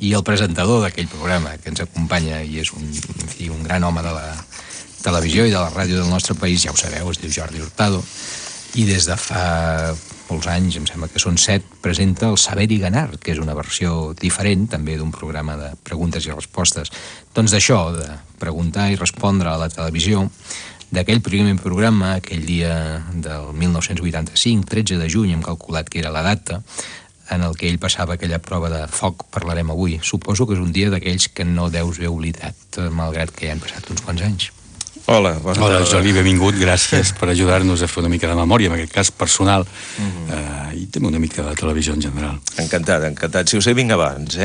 i el presentador d'aquell programa que ens acompanya i és un gran home de la televisió i de la ràdio del nostre país, ja ho sabeu, es diu Jordi Hurtado, i des de fa molts anys, em sembla que són 7, presenta el Saber i Ganar, que és una versió diferent, també d'un programa de preguntes i respostes. Doncs d'això, de preguntar i respondre a la televisió, d'aquell primer programa, aquell dia del 1985, 13 de juny, hem calculat que era la data, en el que ell passava aquella prova de foc, parlarem avui. Suposo que és un dia d'aquells que no deus haver oblidat, malgrat que ja han passat uns quants anys. Hola, Jordi, benvingut, gràcies per ajudar-nos a fer una mica de memòria, en aquest cas personal, i també una mica de televisió en general. Encantat. Si ho sé, vinc abans,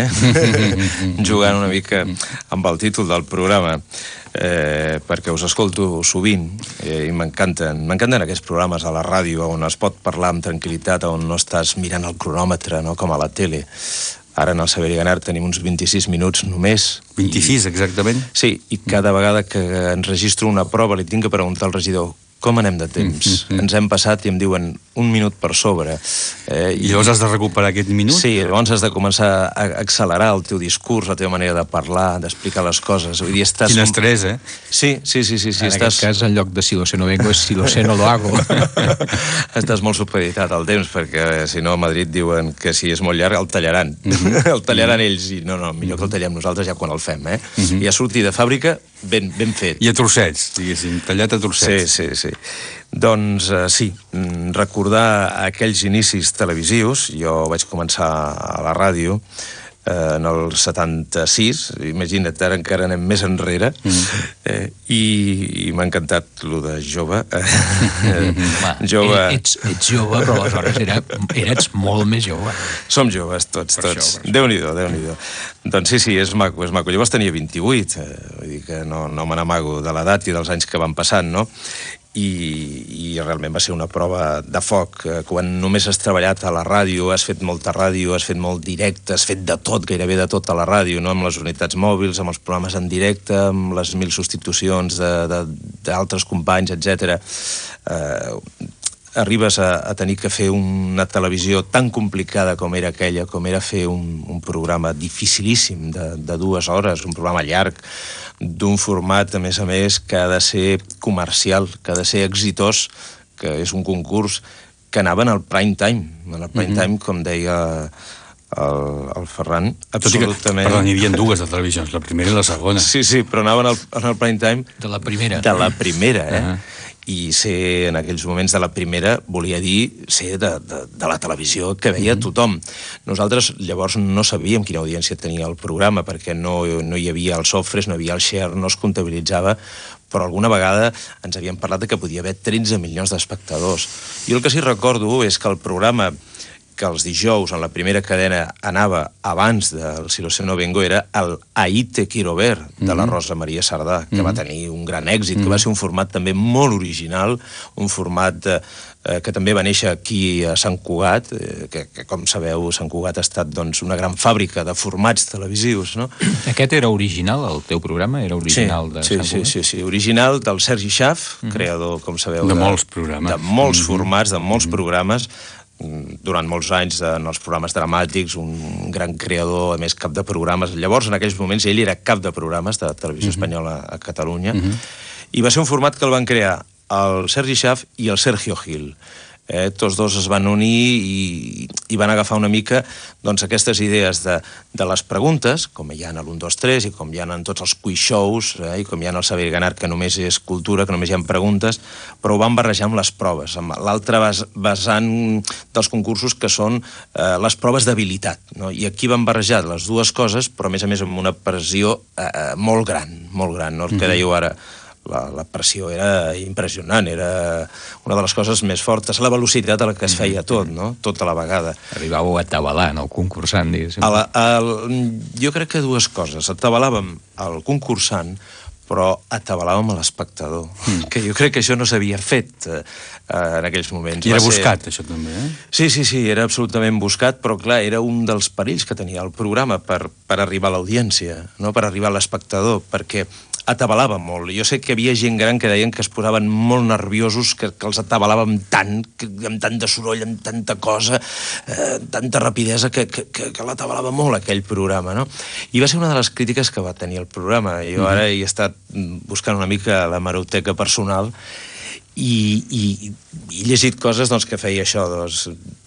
jugant una mica amb el títol del programa, perquè us escolto sovint i m'encanten aquests programes a la ràdio on es pot parlar amb tranquil·litat, on no estàs mirant el cronòmetre, no com a la tele. Ara en el Saber i Ganar tenim uns 26 minuts només. 26, exactament? Sí, i cada vegada que enregistro una prova li tinc que preguntar al regidor com anem de temps. Ens hem passat i em diuen 1 minut per sobre. I llavors has de recuperar aquest minut? Sí, llavors has de començar a accelerar el teu discurs, la teva manera de parlar, d'explicar les coses. Vull dir, estàs... Quin estrès, Sí. En aquest cas, en lloc de si lo sé no vengo, és si lo sé no lo hago. Estàs molt supeditat al temps, perquè si no a Madrid diuen que si és molt llarg el tallaran. El tallaran ells, i no, millor que el tallem nosaltres ja quan el fem, I ja sortir de fàbrica ben fet. I a trossets, diguéssim, tallat a trossets. Sí. Doncs sí, recordar aquells inicis televisius. Jo vaig començar a la ràdio en el 76, imagina't, ara encara anem més enrere, i m'ha encantat lo de jove. Ets jove, però aleshores eres molt més jove. Som joves tots. Déu-n'hi-do. Doncs sí, és maco. Llavors tenia 28, vull dir que no me n'amago de l'edat i dels anys que van passant, no? I realment va ser una prova de foc. Quan només has treballat a la ràdio, has fet molta ràdio, has fet molt directe, has fet de tot, gairebé de tot a la ràdio, no? Amb les unitats mòbils, amb els programes en directe, amb les 1000 substitucions d'altres companys, etc. Arribes a tenir que fer una televisió tan complicada com era aquella, com era fer un programa dificilíssim de 2 hores, un programa llarg, d'un format, a més, que ha de ser comercial, que ha de ser exitós, que és un concurs que anava en el prime time. En el prime time, com deia el Ferran, absolutament... Perdó, n'hi havia 2 de televisions, la primera i la segona. Sí, però anaven en el prime time... De la primera. De la primera, I ser en aquells moments de la primera volia dir ser de la televisió que veia tothom. Nosaltres llavors no sabíem quina audiència tenia el programa, perquè no hi havia els sofres, no hi havia el share, no es comptabilitzava, però alguna vegada ens havien parlat que podia haver 13 milions d'espectadors. Jo el que sí recordo és que el programa que els dijous en la primera cadena anava abans del Si lo sé no vengo era el Ahí te quiero ver, de la Rosa Maria Sardà, que va tenir un gran èxit, que va ser un format també molt original, un format que també va néixer aquí a Sant Cugat, que com sabeu Sant Cugat ha estat una gran fàbrica de formats televisius, no? Aquest era original, el teu programa? Era original de Sant Cugat? Sí, original del Sergi Schaaf, creador, com sabeu, de molts programes. De molts formats, de molts programes, durant molts anys en els programes dramàtics, un gran creador, a més cap de programes. Llavors, en aquells moments, ell era cap de programes de Televisió Espanyola a Catalunya, i va ser un format que el van crear el Sergi Schaaf i el Sergio Gil. Tots dos es van unir i van agafar una mica aquestes idees de les preguntes, com hi ha en l'1, 2, 3 i com hi ha en tots els quiz shows i com hi ha en el Saber i Ganar, que només és cultura, que només hi ha preguntes, però ho van barrejar amb les proves, amb l'altre vessant dels concursos que són les proves d'habilitat, no? I aquí van barrejar les dues coses, però a més amb una pressió molt gran, no? El que dèieu ara, la pressió era impressionant, era una de les coses més fortes, la velocitat a la que es feia tot, no? Tot a la vegada. Arribàveu a atabalar, no? El concursant, diguéssim. Jo crec que 2 coses. Atabalàvem el concursant, però atabalàvem a l'espectador, que jo crec que això no s'havia fet en aquells moments. I era buscat, això també, Sí, era absolutament buscat, però clar, era un dels perills que tenia el programa per arribar a l'audiència, no? Per arribar a l'espectador, perquè atabalava molt. Jo sé que hi havia gent gran que deien que es posaven molt nerviosos, que els atabalàvem tant, amb tant de soroll, amb tanta cosa, tanta rapidesa, que l'atabalava molt aquell programa, no? I va ser una de les crítiques que va tenir el programa. Jo ara he estat buscant una mica la hemeroteca personal i he llegit coses doncs, que feia això,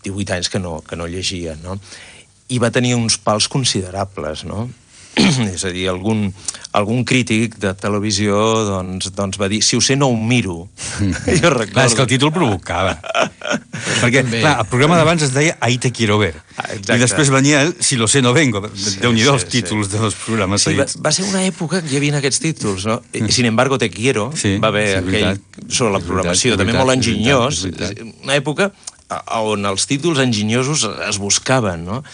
18 anys que no llegia, no? I va tenir uns pals considerables, no? És a dir, algun crític de televisió doncs va dir, si ho sé no ho miro. Jo recordo. Clar, és que el títol provocava. Perquè, clar, el programa d'abans es deia Ahí te quiero ver. I després venia el Si lo sé no vengo. Déu-n'hi-do els títols dels programes seguits. Va ser una època que hi havia aquests títols, no? Sin embargo te quiero, va haver aquell sobre la programació, també molt enginyós. Una època on els títols enginyosos es buscaven, no?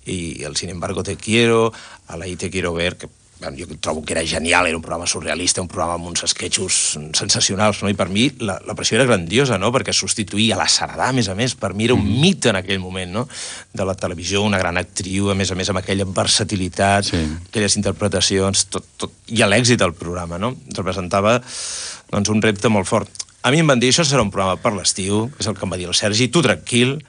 I el Sin embargo te quiero, a la I te quiero ver, que jo trobo que era genial, era un programa surrealista, un programa amb uns esquetxos sensacionals, no? I per mi la pressió era grandiosa, no? Perquè substituïa la Saradà, a més, per mi era un mite en aquell moment, no? De la televisió, una gran actriu, a més, amb aquella versatilitat, aquelles interpretacions, i l'èxit del programa, no? Representava doncs, un repte molt fort. A mi em van dir, això serà un programa per l'estiu, és el que em va dir el Sergi, tu tranquil,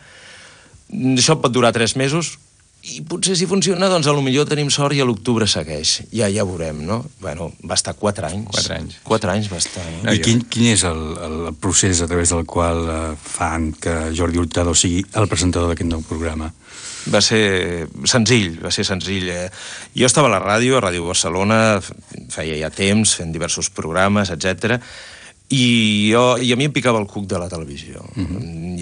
això pot durar 3 mesos, i potser si funciona, doncs potser tenim sort i a l'octubre segueix. Ja veurem, no? Bueno, va estar 4 anys. 4 anys. 4 anys va estar, no? I quin és el procés a través del qual fan que Jordi Hurtado sigui el presentador d'aquest nou programa? Va ser senzill. Jo estava a la ràdio, a Ràdio Barcelona, feia ja temps, fent diversos programes, etc. I a mi em picava el cuc de la televisió.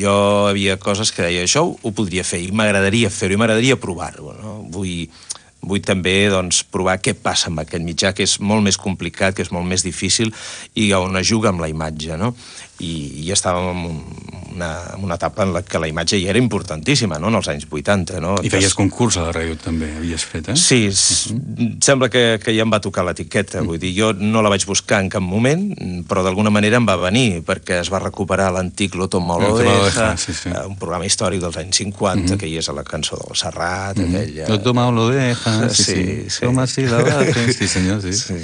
Jo havia coses que deia, això ho podria fer, i m'agradaria fer-ho, i m'agradaria provar-ho, no? Vull també doncs, provar què passa amb aquest mitjà, que és molt més complicat, que és molt més difícil, i on es juga amb la imatge, no? I estàvem en una etapa en la que la imatge ja era importantíssima, no? En els anys 80, no? I feies concurs a la ràdio també, havies fet, eh? Sí, sembla que ja em va tocar l'etiqueta, vull dir, jo no la vaig buscar en cap moment, però d'alguna manera em va venir, perquè es va recuperar l'antic Lo toma o lo deja, un programa històric dels anys 50, que hi és a la cançó del Serrat, aquella... Lo toma o lo deja, sí. Toma si la baja, sí senyor, sí.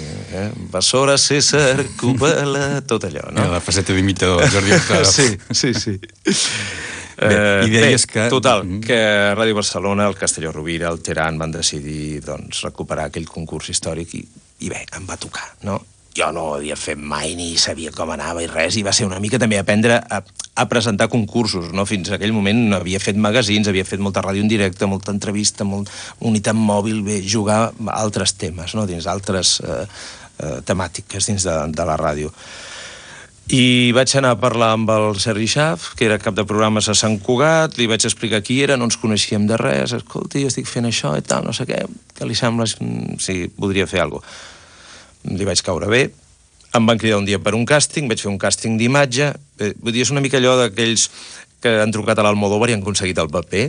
Vasora, César, Cúpala, tot allò, no? La faceta d'imitador, Jordi Hurtado. Sí. I deies que... Total, que Ràdio Barcelona, el Castelló Rovira, el Teran van decidir doncs, recuperar aquell concurs històric i bé, em va tocar, no? Jo no ho havia fet mai, ni sabia com anava i res, i va ser una mica també aprendre a presentar concursos, no? Fins a aquell moment havia fet magazins, havia fet molta ràdio en directe, molta entrevista, molta unitat mòbil, bé, jugar a altres temes, no? Dins d'altres temàtiques dins de la ràdio. I vaig anar a parlar amb el Sergi Schaaf, que era cap de programes a Sant Cugat, li vaig explicar qui era, no ens coneixíem de res, escolti, jo estic fent això i tal, no sé què li sembla, si podria fer alguna cosa. Li vaig caure bé, em van cridar un dia per un càsting, vaig fer un càsting d'imatge, vull dir, és una mica allò d'aquells que han trucat a l'Almodóvar i han aconseguit el paper.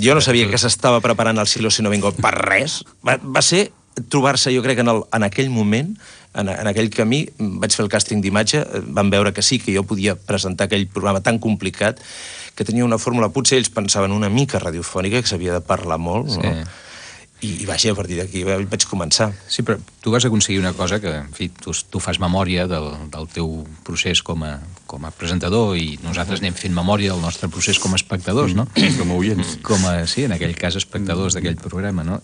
Jo no sabia que s'estava preparant el Si no vengo per res. Va ser trobar-se, jo crec, en aquell moment, en aquell camí, vaig fer el càsting d'imatge, van veure que sí, que jo podia presentar aquell programa tan complicat, que tenia una fórmula, potser ells pensaven una mica radiofònica, que s'havia de parlar molt, no? I vaja, a partir d'aquí vaig començar. Sí, però tu vas aconseguir una cosa que, en fi, tu fas memòria del teu procés com a presentador i nosaltres anem fent memòria del nostre procés com a espectadors, no? Com a oients. Sí, en aquell cas espectadors d'aquell programa, no?